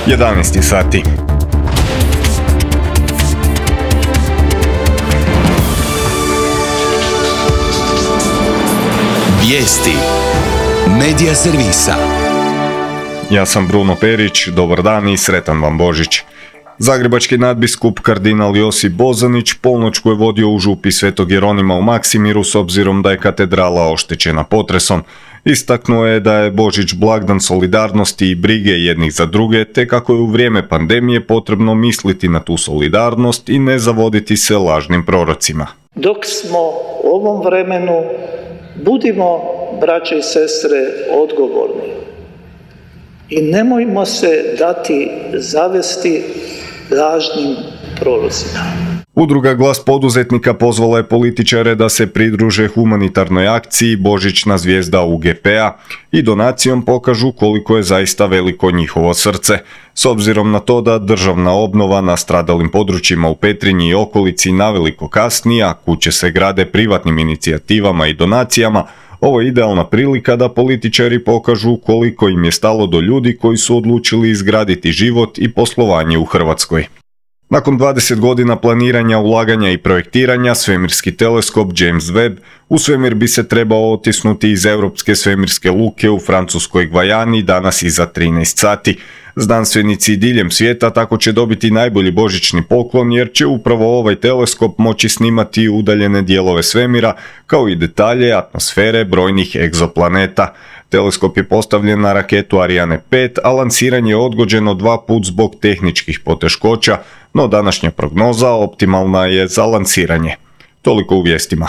11 sati. Vijesti Medija servisa. Ja sam Bruno Perić, dobar dan i sretan vam Božić. Zagrebački nadbiskup kardinal Josip Bozanić polnoćku je vodio u župi Svetog Jeronima u Maksimiru s obzirom da je katedrala oštećena potresom. Istaknuo je da je Božić blagdan solidarnosti i brige jednih za druge, te kako je u vrijeme pandemije potrebno misliti na tu solidarnost i ne zavoditi se lažnim prorocima. Dok smo u ovom vremenu, budimo, braće i sestre, odgovorni i nemojmo se dati zavesti lažnim prorocima. Udruga Glas poduzetnika pozvala je političare da se pridruže humanitarnoj akciji Božićna zvijezda UGP-a i donacijom pokažu koliko je zaista veliko njihovo srce. S obzirom na to da državna obnova na stradalim područjima u Petrinji i okolici naveliko kasni, a kuće se grade privatnim inicijativama i donacijama, ovo je idealna prilika da političari pokažu koliko im je stalo do ljudi koji su odlučili izgraditi život i poslovanje u Hrvatskoj. Nakon 20 godina planiranja, ulaganja i projektiranja, svemirski teleskop James Webb u svemir bi se trebao otisnuti iz Europske svemirske luke u francuskoj Gvajani danas iza 13 sati. Znanstvenici diljem svijeta tako će dobiti najbolji božićni poklon jer će upravo ovaj teleskop moći snimati udaljene dijelove svemira kao i detalje atmosfere brojnih egzoplaneta. Teleskop je postavljen na raketu Ariane 5, a lansiranje je odgođeno 2 puta zbog tehničkih poteškoća, no današnja prognoza optimalna je za lansiranje. Toliko u vijestima.